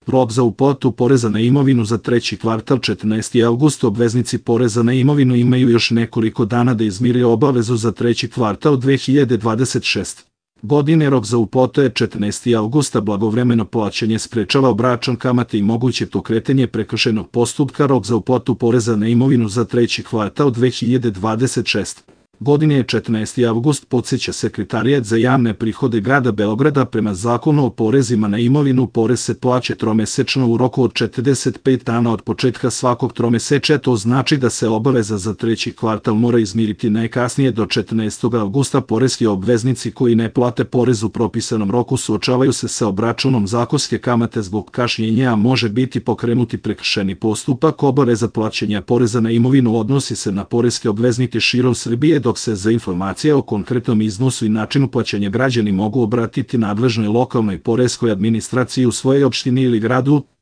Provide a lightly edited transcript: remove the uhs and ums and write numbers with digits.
Rok za uplatu poreza na imovinu za treći kvartal 14. avgust. Obveznici poreza na imovinu imaju još nekoliko dana da izmire obavezu za treći kvartal 2026. godine. Rok za uplatu je 14. avgusta. Blagovremeno plaćanje sprečava obračun kamate i moguće pokretanje prekršajnog postupka. Rok za uplatu poreza na imovinu za treći kvartal 2026. godine je 14. avgust, podsjeća Sekretarijat za javne prihode grada Beograda. Prema Zakonu o porezima na imovinu, porez se plaća tromesečno u roku od 45 dana od početka svakog tromesečja. To znači da se obaveza za treći kvartal mora izmiriti najkasnije do 14. avgusta. Poreski obveznici koji ne plate porez u propisanom roku suočavaju se sa obračunom zakonske kamate zbog kašnjenja, a može biti pokrenuti prekršajni postupak. Obaveza plaćanja poreza na imovinu odnosi se na poreske obveznike širom Srbije, dok se za informacije o konkretnom iznosu i načinu plaćanja građani mogu obratiti nadležnoj lokalnoj poreskoj administraciji u svojoj opštini ili gradu.